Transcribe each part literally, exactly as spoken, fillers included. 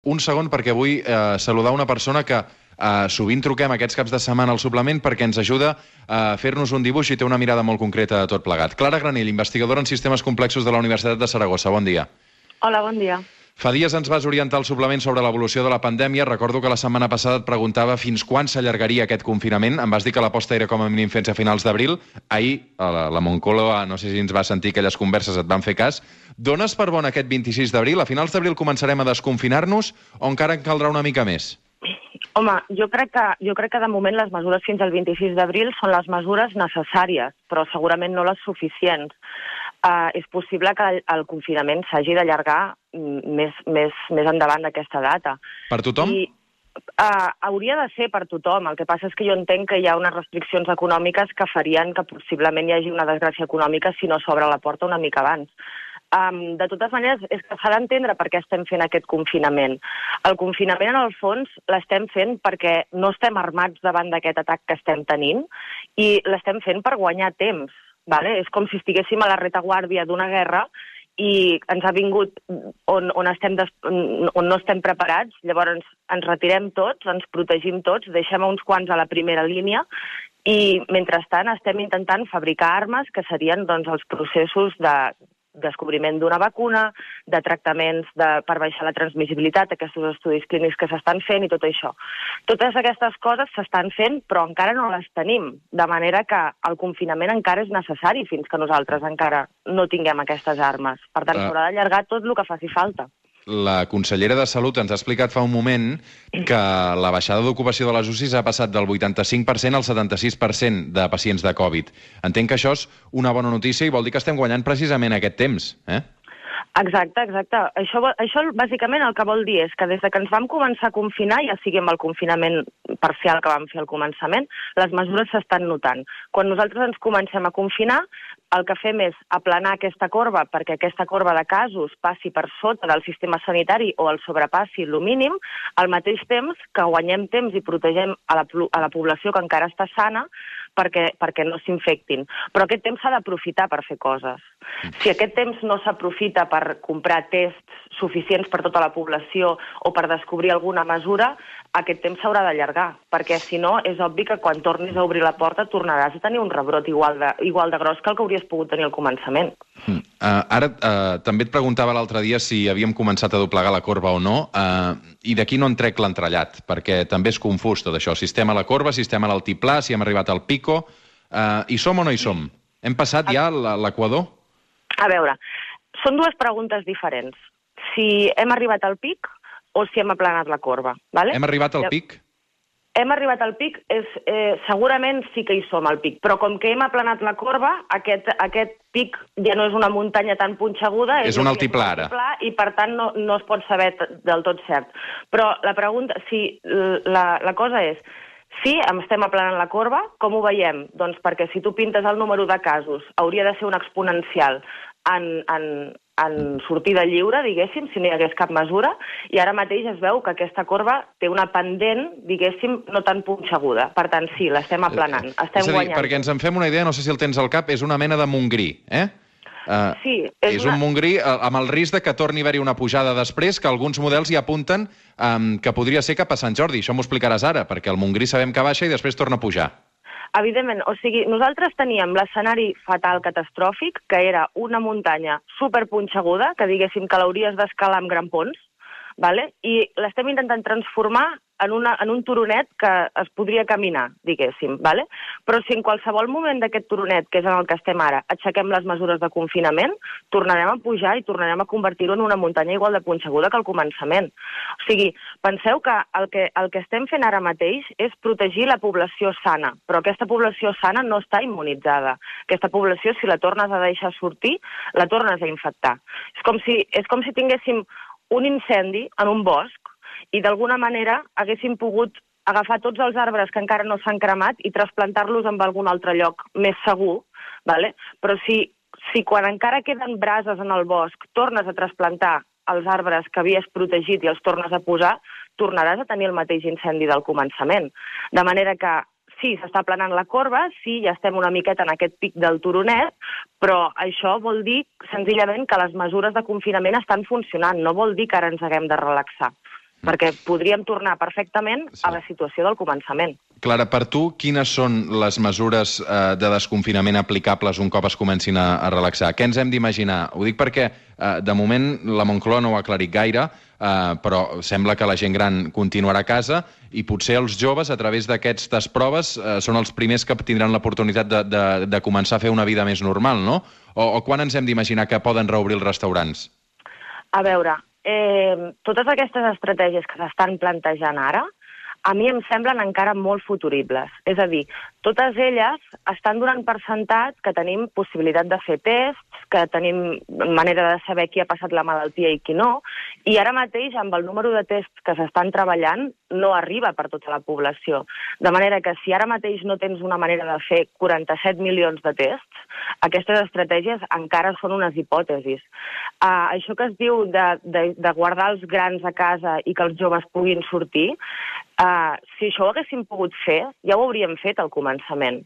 Un segon, perquè vull eh, saludar una persona que eh, sovint truquem aquests caps de setmana al suplement perquè ens ajuda a fer-nos un dibuix i té una mirada molt concreta de tot plegat. Clara Granell, investigadora en sistemes complexos de la Universitat de Saragossa. Bon dia. Hola, bon dia. Fa dies ens vas orientar al suplement sobre l'evolució de la pandèmia. Recordo que la setmana passada et preguntava fins quan s'allargaria aquest confinament. Em vas dir que l'aposta era com a mínim fins a finals d'abril. Ahir, a la, la Moncloa, no sé si ens va sentir aquelles converses, et van fer cas. Dones per bon aquest vint-i-sis d'abril? A finals d'abril començarem a desconfinar-nos o encara en caldrà una mica més? Home, jo crec que, jo crec que de moment les mesures fins al vint-i-sis d'abril són les mesures necessàries, però segurament no les suficients. Uh, és possible que el, el confinament s'hagi d'allargar més, més, més endavant d'aquesta data. Per tothom? I, uh, hauria de ser per tothom. El que passa és que jo entenc que hi ha unes restriccions econòmiques que farien que possiblement hi hagi una desgràcia econòmica si no s'obre la porta una mica abans. Um, de totes maneres, és que s'ha d'entendre per què estem fent aquest confinament. El confinament, en el fons, l'estem fent perquè no estem armats davant d'aquest atac que estem tenint i l'estem fent per guanyar temps. Vale? És com si estiguéssim a la retaguardia d'una guerra i ens ha vingut on, on, estem des... on no estem preparats, llavors ens retirem tots, ens protegim tots, deixem uns quants a la primera línia i, mentrestant, estem intentant fabricar armes que serien doncs, els processos de descobriment d'una vacuna, de tractaments de, per baixar la transmissibilitat, aquests estudis clínics que s'estan fent i tot això. Totes aquestes coses s'estan fent, però encara no les tenim, de manera que el confinament encara és necessari fins que nosaltres encara no tinguem aquestes armes. Per tant, s'haurà d'allargar tot el que faci falta. La consellera de Salut ens ha explicat fa un moment que la baixada d'ocupació de les U C Is ha passat del vuitanta-cinc per cent al setanta-sis per cent de pacients de Covid. Entenc que això és una bona notícia i vol dir que estem guanyant precisament aquest temps, eh? Exacte, exacte. Això, això bàsicament el que vol dir és que des de que ens vam començar a confinar, ja sigui amb el confinament parcial que vam fer al començament, les mesures s'estan notant. Quan nosaltres ens comencem a confinar, el que fem és aplanar aquesta corba perquè aquesta corba de casos passi per sota del sistema sanitari o el sobrepassi el mínim, al mateix temps que guanyem temps i protegem a la, a la població que encara està sana perquè, perquè no s'infectin. Però aquest temps s'ha d'aprofitar per fer coses. Si aquest temps no s'aprofita per comprar tests suficients per tota la població o per descobrir alguna mesura, aquest temps s'haurà d'allargar, perquè si no és obvi que quan tornis a obrir la porta tornaràs a tenir un rebrot igual de, igual de gros que el que hauries pogut tenir al començament. Mm. Uh, ara uh, també et preguntava l'altre dia si havíem començat a doblegar la corba o no, uh, i d'aquí no en trec l'entrellat, perquè també és confús tot això. Sistema a la corba, sistema a l'altiplà, si hem arribat al pico. Uh, hi som o no hi som? Hem passat ja l'equador? A veure, són dues preguntes diferents. Si hem arribat al pic o si hem aplanat la corba. Vale? Hem arribat al pic? Hem arribat al pic, és, eh, segurament sí que hi som al pic, però com que hem aplanat la corba, aquest, aquest pic ja no és una muntanya tan punxeguda, és, és un altiplà ara. I per tant no, no es pot saber del tot cert. Però la pregunta, si la, la cosa és, sí, estem aplanant la corba, com ho veiem? Doncs perquè si tu pintes el número de casos, hauria de ser un exponencial en, en, en sortida lliure, diguéssim, si no hi hagués cap mesura, i ara mateix es veu que aquesta corba té una pendent, diguéssim, no tan punxeguda. Per tant, sí, l'estem aplanant, estem és a dir, guanyant. perquè ens en fem una idea, no sé si el tens al cap, és una mena de Montgrí, eh? Uh, sí, és, és una... un Montgrí uh, amb el risc de que torni a haver-hi una pujada després, que alguns models hi apunten um, que podria ser cap a Sant Jordi. Això m'ho explicaràs ara, perquè el Montgrí sabem que baixa i després torna a pujar. Evidentment, o sigui, nosaltres teníem l'escenari fatal catastròfic, que era una muntanya superpunxeguda, que diguéssim que l'hauries d'escalar amb grampons, vale? I l'estem intentant transformar en, una, en un turonet que es podria caminar, diguéssim, vale? Però si en qualsevol moment d'aquest turonet, que és en el que estem ara, aixequem les mesures de confinament, tornarem a pujar i tornarem a convertir-ho en una muntanya igual de punxeguda que al començament. O sigui, penseu que el, que el que estem fent ara mateix és protegir la població sana, però aquesta població sana no està immunitzada. Aquesta població, si la tornes a deixar sortir, la tornes a infectar. És com si, és com si tinguéssim un incendi en un bosc i d'alguna manera haguéssim pogut agafar tots els arbres que encara no s'han cremat i trasplantar-los en algun altre lloc més segur, vale? Però si, si quan encara queden brases en el bosc tornes a trasplantar els arbres que havies protegit i els tornes a posar, tornaràs a tenir el mateix incendi del començament. De manera que sí, s'està aplanant la corba, sí, ja estem una miqueta en aquest pic del turonet, però això vol dir senzillament que les mesures de confinament estan funcionant, no vol dir que ara ens haguem de relaxar. perquè podríem tornar perfectament sí. a la situació del començament. Clara, per tu, quines són les mesures eh, de desconfinament aplicables un cop es comencin a, a relaxar? Què ens hem d'imaginar? Ho dic perquè, eh, de moment, la Moncloa no ho ha aclarit gaire, eh, però sembla que la gent gran continuarà a casa i potser els joves, a través d'aquestes proves, eh, són els primers que tindran l'oportunitat de, de, de començar a fer una vida més normal, no? O, o quan ens hem d'imaginar que poden reobrir els restaurants? A veure, eh, totes aquestes estratègies que s'estan plantejant ara, a mi em semblen encara molt futuribles. És a dir, totes elles estan donant per sentat que tenim possibilitat de fer tests, que tenim manera de saber qui ha passat la malaltia i qui no, i ara mateix, amb el número de tests que s'estan treballant, no arriba per tota la població. De manera que si ara mateix no tens una manera de fer quaranta-set milions de tests, aquestes estratègies encara són unes hipòtesis. Uh, això que es diu de, de, de guardar els grans a casa i que els joves puguin sortir, Uh, si això ho haguéssim pogut fer, ja ho hauríem fet al començament.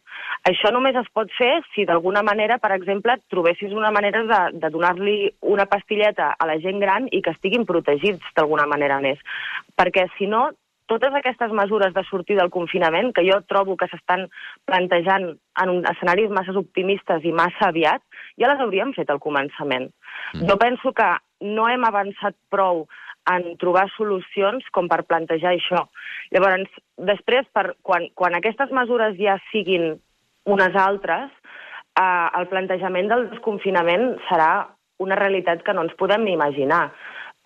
Això només es pot fer si d'alguna manera, per exemple, trobessis una manera de, de donar-li una pastilleta a la gent gran i que estiguin protegits d'alguna manera més. Perquè, si no, totes aquestes mesures de sortir del confinament, que jo trobo que s'estan plantejant en un escenaris massa optimistes i massa aviat, ja les hauríem fet al començament. Mm. Jo penso que no hem avançat prou en trobar solucions com per plantejar això. Llavors, després, per, quan, quan aquestes mesures ja siguin unes altres, eh, el plantejament del desconfinament serà una realitat que no ens podem ni imaginar.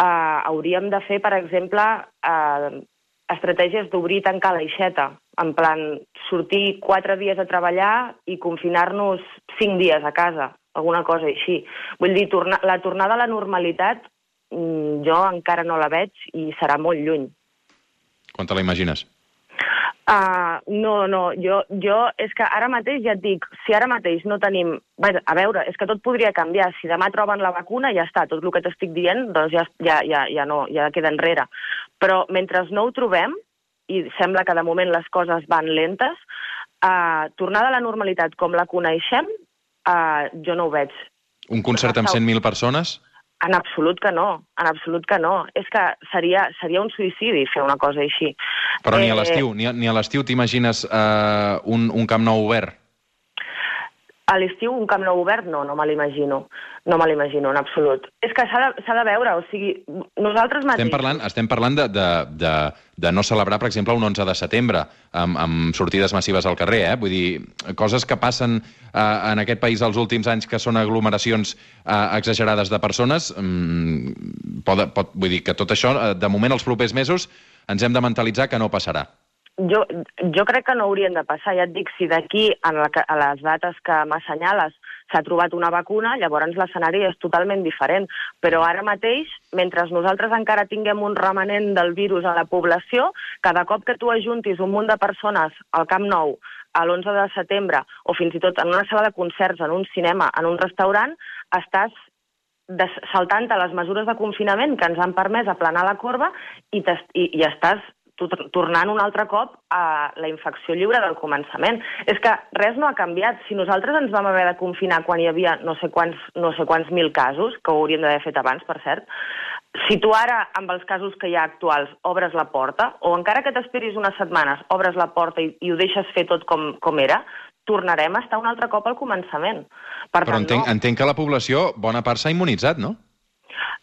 Eh, hauríem de fer, per exemple, eh, estratègies d'obrir i tancar l'aixeta, en plan, sortir quatre dies a treballar i confinar-nos cinc dies a casa, alguna cosa així. Vull dir, torna, la tornada a la normalitat jo encara no la veig i serà molt lluny. Quan te la imagines? Uh, no, no, jo, jo és que ara mateix ja et dic, si ara mateix no tenim... Bé, a veure, és que tot podria canviar. Si demà troben la vacuna, ja està, tot el que t'estic dient doncs ja, ja, ja, ja, no, ja queda enrere. Però mentre no ho trobem, i sembla que de moment les coses van lentes, uh, tornada a la normalitat com la coneixem, uh, jo no ho veig. Un concert amb cent mil persones? En absolut que no, en absolut que no. És que seria, seria un suïcidi fer una cosa així. Però eh... ni a l'estiu, ni a, ni a l'estiu t'imagines eh, un, un Camp Nou obert? A l'estiu un Camp Nou obert? No, no me l'imagino. No me l'imagino, en absolut. És que s'ha de, s'ha de veure, o sigui, nosaltres mateixos... Estem parlant, estem parlant de, de, de, de no celebrar, per exemple, un onze de setembre, amb, amb sortides massives al carrer, eh? Vull dir, coses que passen eh, en aquest país els últims anys, que són aglomeracions eh, exagerades de persones, mm, pot, pot, vull dir que tot això, de moment, els propers mesos, ens hem de mentalitzar que no passarà. Jo, jo crec que no haurien de passar. Ja et dic, si d'aquí a, la, a les dates que m'assenyales s'ha trobat una vacuna, llavors l'escenari és totalment diferent. Però ara mateix, mentre nosaltres encara tinguem un remanent del virus a la població, cada cop que tu ajuntis un munt de persones al Camp Nou, a l'onze de setembre, o fins i tot en una sala de concerts, en un cinema, en un restaurant, estàs saltant-te les mesures de confinament que ens han permès aplanar la corba i, i, i estàs tornant un altre cop a la infecció lliure del començament. És que res no ha canviat. Si nosaltres ens vam haver de confinar quan hi havia no sé quants, no sé quants mil casos, que ho hauríem d'haver fet abans, per cert, si tu ara, amb els casos que hi ha actuals, obres la porta, o encara que t'esperis unes setmanes, obres la porta i, i ho deixes fer tot com, com era, tornarem a estar un altre cop al començament. Per Però tant, entenc, no. entenc que la població, bona part, s'ha immunitzat, no?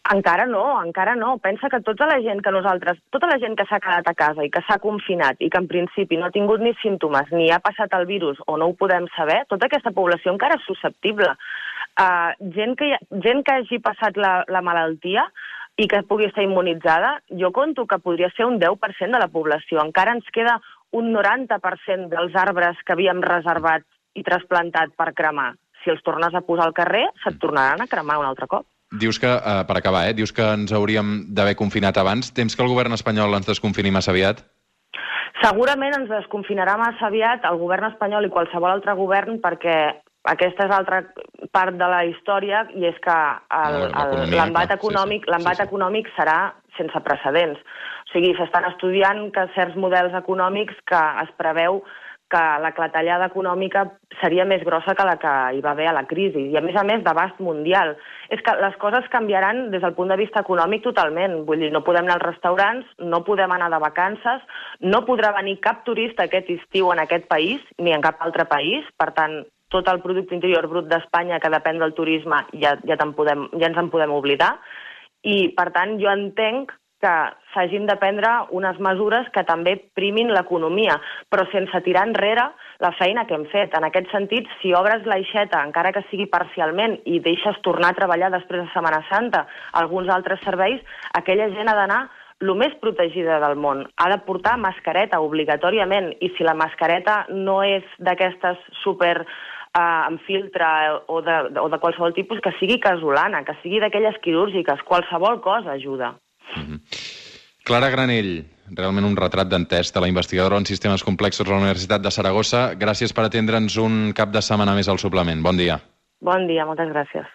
Encara no, encara no. Pensa que tota la gent que nosaltres, tota la gent que s'ha quedat a casa i que s'ha confinat i que en principi no ha tingut ni símptomes ni ha passat el virus o no ho podem saber, tota aquesta població encara és susceptible. Uh, gent, que, gent que hagi passat la, la malaltia i que pugui estar immunitzada, jo conto que podria ser un deu per cent de la població. Encara ens queda un noranta per cent dels arbres que havíem reservat i trasplantat per cremar. Si els tornes a posar al carrer, se't tornaran a cremar un altre cop. Dius que, eh, per acabar, eh, dius que ens hauríem d'haver confinat abans. Temps que el govern espanyol ens desconfini massa aviat? Segurament ens desconfinarà massa aviat el govern espanyol i qualsevol altre govern, perquè aquesta és altra part de la història, i és que l'embat econòmic, l'embat econòmic serà sense precedents. O sigui, s'estan estudiant que certs models econòmics que es preveu que la clatellada econòmica seria més grossa que la que hi va haver a la crisi, i a més a més d'abast mundial. És que les coses canviaran des del punt de vista econòmic totalment. Vull dir, no podem anar als restaurants, no podem anar de vacances, no podrà venir cap turista aquest estiu en aquest país, ni en cap altre país. Per tant, tot el producte interior brut d'Espanya, que depèn del turisme, ja, ja, podem, ja ens en podem oblidar. I, per tant, jo entenc que s'hagin de prendre unes mesures que també primin l'economia, però sense tirar enrere la feina que hem fet. En aquest sentit, si obres l'aixeta, encara que sigui parcialment, i deixes tornar a treballar després de Setmana Santa alguns altres serveis, aquella gent ha d'anar el més protegida del món. Ha de portar mascareta obligatòriament, i si la mascareta no és d'aquestes super eh, amb filtre o de, o de qualsevol tipus, que sigui casolana, que sigui d'aquelles quirúrgiques, qualsevol cosa ajuda. Mm-hmm. Clara Granell, realment un retrat d'entès de la investigadora en sistemes complexos a la Universitat de Saragossa. Gràcies per atendre'ns un cap de setmana més al suplement. Bon dia. Bon dia, moltes gràcies.